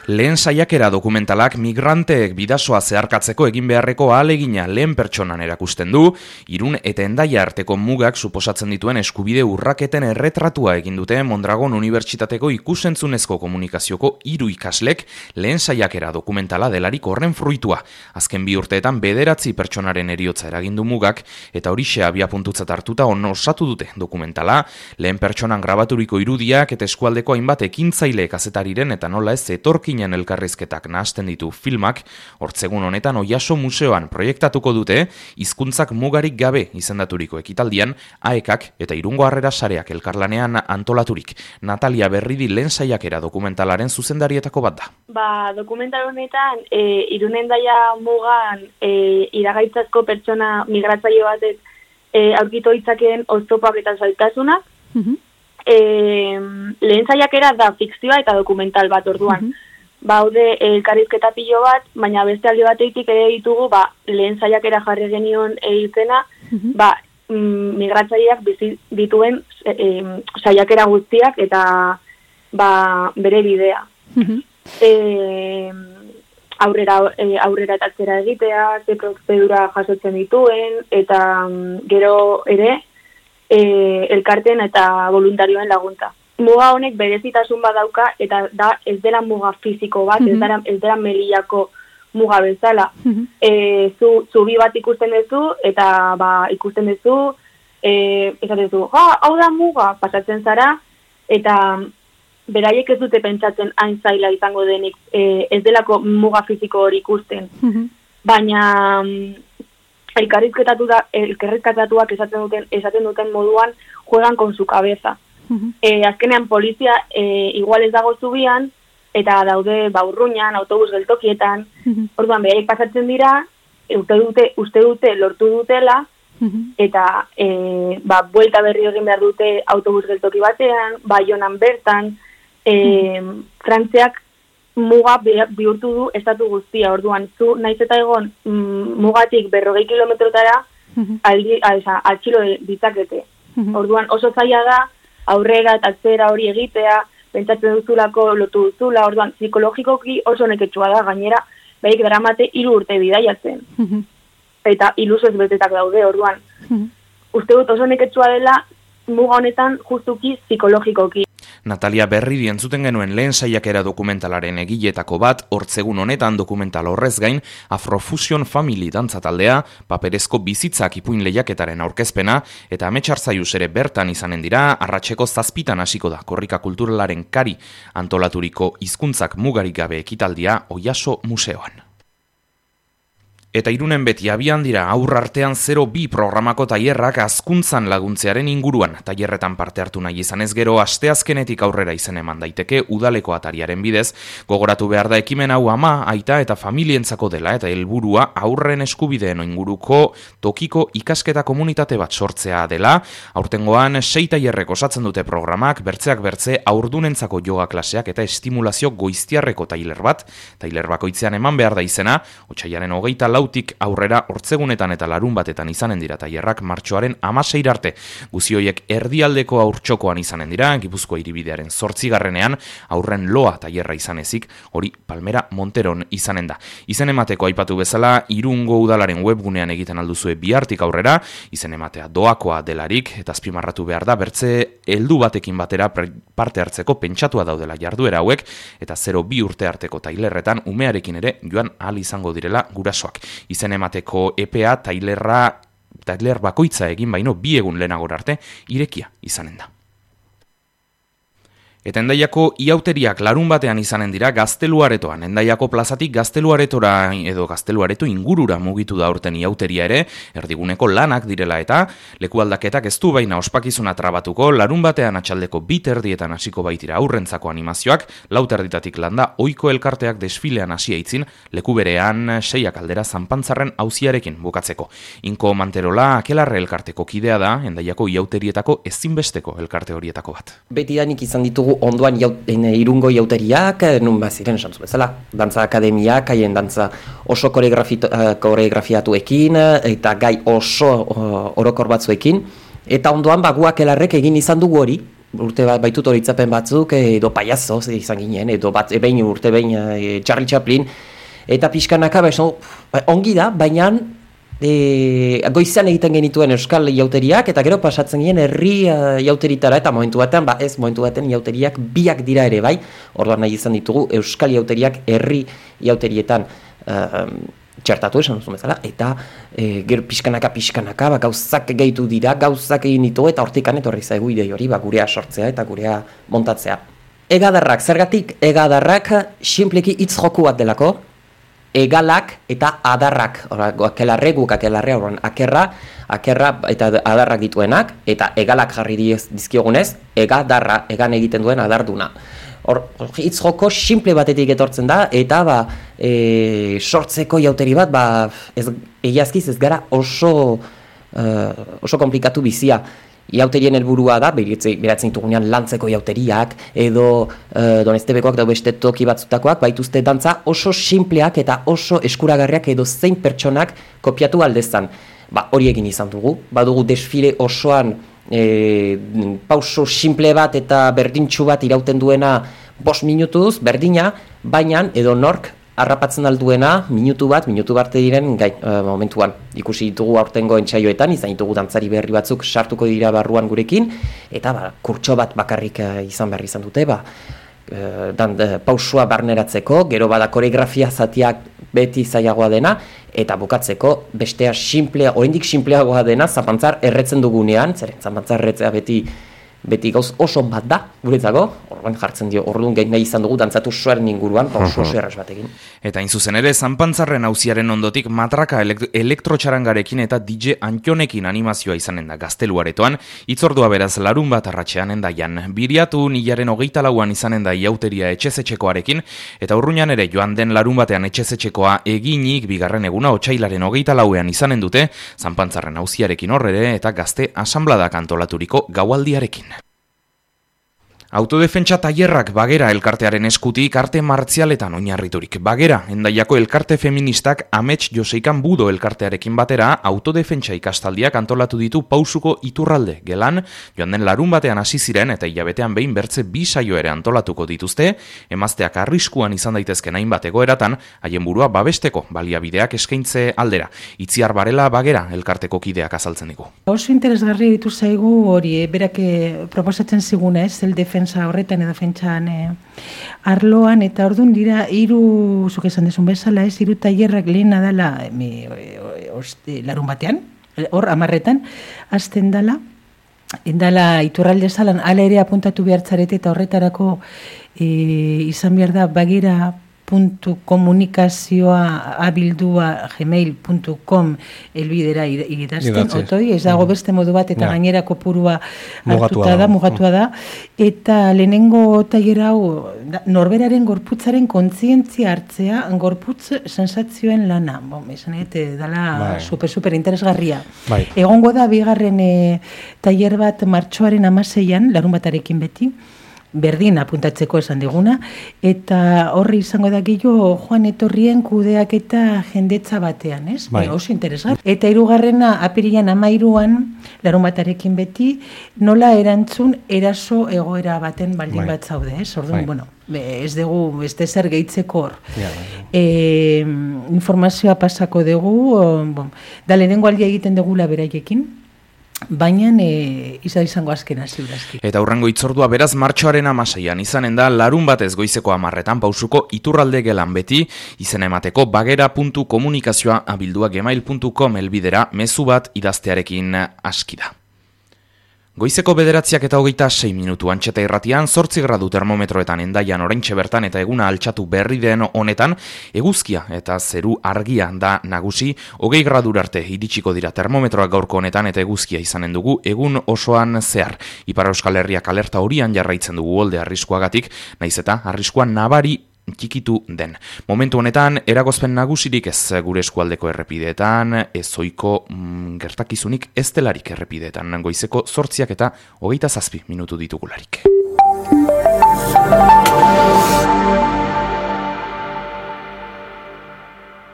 Lehen saiakera dokumentalak migranteek bidasoa zeharkatzeko egin beharreko ahalegina lehen pertsonan erakusten du, Irun eta Hendaia arteko mugak suposatzen dituen eskubide urraketen erretratua egin dute Mondragon Unibertsitateko ikusentzunezko komunikazioko 3 ikaslek lehen saiakera dokumentala delarik horren fruitua. Azken 2 urteetan 9 pertsonaren heriotza eragindu mugak eta horixe abiapuntutzat hartuta osatu dute dokumentala, lehen pertsonan grabaturiko irudiak eta eskualdeko hainbat ekintzaile kazetariren eta nola ez etorkinen elkarrizketak nahasten ditu filmak, hortzegun honetan Oiaso Museoan proiektatuko dute, hizkuntzak mugarik gabe izendaturiko ekitaldian, AEKak eta Irungo Harrera Sareak elkarlanean antolaturik. Natalia Berridi lehen saiakera dokumentalaren zuzendarietako bat da. Dokumental honetan, Irun Hendaia mugan iragaitzazko pertsona migratzaile batek aurkitu ditzakeen oztopoak eta zailtasunak. Lehen saiakera da fikzioa eta dokumental bat orduan. Baude elkarrizketa pilo bat, baina beste alde batetik ere ditugu lehen saiakera jarri genion izena, migratzaileak bizi dituen saiakera guztiak eta bere bidea. Aurrera eta atzera egitea, ze prozedura jasotzen dituen, eta gero ere elkarten eta voluntarioen laguntza. Muga honek berezitasun badauka eta da ez dela muga fisiko bat, ez dela melillako muga bezala. Zubi bat ikusten duzu eta ikusten duzu, esaten duzu, hau da muga, pasatzen zara, eta beraiek ez dute pentsatzen hain zaila izango denik, ez delako muga fisiko hori ikusten. Baina elkarrizketatuak esaten duten moduan juegan con su cabeza. Azkenean polizia igual ez dago zubian eta daude Urruñan, autobus geltokietan. Orduan beraiek pasatzen dira, uste dute lortu dutela eta buelta berri egin behar dute autobus geltoki batean, Baionan bertan. Frantziak muga bihurtu du estatu guztia. Orduan zu naiz eta egon mugatik 40 kilometrotara atxilo ditzakete. Orduan oso zaila da aurrera eta atzera hori egitea, pentsatzen duzulako lotu duzula, orduan psikologikoki oso neketsua da, gainera behik daramate 3 urte bidaiatzen. Eta ilusoz betetak daude, orduan. Uste dut oso neketsua dela muga honetan justuki psikologikoki. Natalia Berridi entzuten genuen lehen saiakera dokumentalaren egiletako bat, hortzegun honetan dokumental horrez gain, Afrofusion Family dantza taldea, paperezko bizitzak ipuin lehiaketaren aurkezpena, eta Ametsarzaius ere bertan izanen dira, arratseko 7 hasiko da korrika kulturalaren kari antolaturiko hizkuntzak mugarik gabe ekitaldia Oiaso Museoan. Eta Irunen beti abian dira aurrartean 02 programako tailerrak hazkuntzan laguntzearen inguruan. Tailerretan parte hartu nahi izanez gero asteazkenetik aurrera izen eman daiteke udaleko atariaren bidez. Gogoratu behar da ekimen hau ama, aita eta familientzako dela eta helburua aurren eskubideen inguruko tokiko ikasketa komunitate bat sortzea dela. Aurtengoan 6 tailerrek osatzen dute programak, bertzeak bertze aurdunentzako yoga klaseak eta estimulazio goiztiarreko tailer bat. Tailer bakoitzean eman behar da izena, otsailaren 24 aurrera hortzegunetan eta larun batetan izanen dira tailerrak martxoaren 16 arte. Guzioiek erdialdeko aurtxokoan izanen dira, Gipuzkoa hiribidearen 8. aurren loa tailerra izanezik, hori Palmera Monteron izanen da. Izen emateko aipatu bezala, Irungo udalaren webgunean egiten alduzue bihartik aurrera, izen ematea doakoa delarik, eta azpimarratu behar da, bertze heldu batekin batera parte hartzeko pentsatua daudela jarduera hauek, eta 02 urte arteko tailerretan umearekin ere joan ahal izango direla gurasoak. Izen emateko EPA tailer bakoitza egin baino 2 egun lehenagora arte irekia izanen da. Eta Hendaiako iauteriak larun batean izanen dira Gazteluaretoan. Hendaiako plazatik Gazteluaretora edo Gazteluareto ingurura mugitu da aurten iauteria ere, erdiguneko lanak direla eta leku aldaketak ez du baina ospakizuna trabatuko, larun batean atxaldeko 2:00 hasiko baitira aurrentzako animazioak, 4:00 landa ohiko elkarteak desfilean hasia itzin, leku berean 6 aldera Zanpantzarren auziarekin bukatzeko. Inko Manterola Akelarre elkarteko kidea da, Hendaiako iauterietako ezinbesteko elkarte horietako bat. Betidanik izan ditugu ondoan Irungo iauteriak, nun baziren esan bezala, dantza akademiak, haien dantza oso koreografiatuekin, eta gai oso orokor batzuekin, eta ondoan guak elarrek egin izan dugu hori, urte bat baitut horitzapen batzuk, edo paiazo izan ginen, edo urte behin Charlie Chaplin, eta pixkanaka, ongi da, baina goizean egiten genituen euskal jauteriak, eta gero pasatzen ginen herri jauteritara, eta momentu baten jauteriak biak dira ere bai, orduan nahi izan ditugu euskal jauteriak herri jauterietan txertatu esan duzun bezala, eta gero pixkanaka, gauzak gehitu dira, gauzak egin ditu, eta hortikan etorri zaigu idei hori, gurea sortzea eta gurea montatzea. Egadarrak, zergatik egadarrak sinpleki hitz joku bat delako, egalak eta adarrak, akelarre, akerra eta adarrak dituenak, eta egalak jarri dizkiogunez, egadarra, egan egiten duen adarduna. Hitz joko simple batetik etortzen da, eta sortzeko jauteri bat, egiazkiz ez gara oso komplikatu bizia. Jauterien helburua da, beratzen ditugunean lantzeko jauteriak, edo Donestebekoak da beste toki batzutakoak, baituzte dantza oso simpleak eta oso eskuragarriak edo zein pertsonak kopiatu aldezan. Hori egin izan dugu, badugu desfile osoan pauso simple bat eta berdintxu bat irauten duena 5 minutuz, berdina, baina edo nork harrapatzen alduena minutu bat diren momentuan. Ikusi ditugu aurtengo entsaioetan, izan ditugu dantzari berri batzuk sartuko dira barruan gurekin, eta kurtso bat bakarrik izan behar izan dute, pausua barneratzeko, gero bada koreografia zatiak beti zailagoa dena, eta bukatzeko bestea oraindik simpleagoa dena, zapantzar erretzen dugunean, zeren zapantzar erretzea beti gauz oso bat da, guretzako, orduan jartzen dio, orduan gehi nahi izan dugu dantzatu soaren inguruan, oso erraz batekin. Eta inzuzen ere, Zanpantzarren auziaren ondotik matraka elektrotxarangarekin eta DJ Antionekin animazioa izanen da Gazteluaretoan, itzordua beraz larun bat arratxean endaian. Biriatu nilaren 24an izanen da jauteria etxezetxekoarekin, eta urruñan ere joan den larun batean etxezetxekoa eginik bigarren eguna otsailaren 24an izanen dute, Zanpantzarren auziarekin horrere eta gazte asanbladak antolaturiko gaualdiarekin. Autodefentsa tailerrak Bagera elkartearen eskutik arte martzialetan oinarriturik. Bagera, Endaiako elkarte feministak Amets Joseikan Budo elkartearekin batera autodefentsa ikastaldiak antolatu ditu Pausuko Iturralde gelan, joan den larun batean hasi ziren eta hilabetean behin bertze 2 saio ere antolatuko dituzte, emazteak arriskuan izan daitezken hainbat egoeratan, haien burua babesteko baliabideak eskaintze aldera. Itziar Barela Bagera elkarteko kideak azaltzen digu. Oso interesgarri ditu zaigu hori, berak proposatzen ziguna, horretan edo defentsan arloan, eta orduan dira 3, zuk esan desun bezala, 3 tailerrak lehena dela larun batean, hor 10etan, hasten dala Iturralde zalan, ala ere apuntatu behartzarete eta horretarako izan behar da bagera.komunikazioa abildua@gmail.com elbidera idazten, otoi, ez dago beste modu bat, eta gainera kopurua mugatua da, eta lehenengo tailer hau norberaren gorputzaren kontzientzia hartzea, gorputz sensazioen lana, esan dela super interesgarria. Egongo da bigarren tailer bat martxoaren 16an, larun batarekin beti, berdin apuntatzeko esan diguna, eta horri izango da gehiago joan etorrien kudeak eta jendetza batean, ez? Oso interesgarri. Eta 3. apirilean 13an, larun batarekin beti, nola erantzun eraso egoera baten baldin bat zaude, ez? Orduan, ez dugu, beste zer gehitzeko hor. Informazioa pasako dugu, da lehenengo aldia egiten dugula beraiekin, baina izango azkena ziurazki. Eta hurrengo itzordua beraz martxoaren 16an izanen da larun batez goizeko 10etan Pausuko Iturralde gelan beti, izena emateko bagera.komunikazioa@gmail.com elbidera mezu bat idaztearekin aski da. Goizeko 9:26 minutu Antxeta irratian 8 gradu termometroetan Endaian oraintxe bertan eta eguna altxatu berri den honetan, eguzkia eta zeru argia da nagusi, 20 gradura arte iritsiko dira termometroak gaurko honetan eta eguzkia izanen dugu egun osoan zehar. Ipar Euskal Herriak alerta horian jarraitzen dugu olde arriskuagatik, naiz eta arriskua nabari txikitu den. Momentu honetan, eragozpen nagusirik ez gure eskualdeko errepideetan, ezoiko gertakizunik ez delarik errepideetan, goizeko 8 eta 27 minutu ditugularik.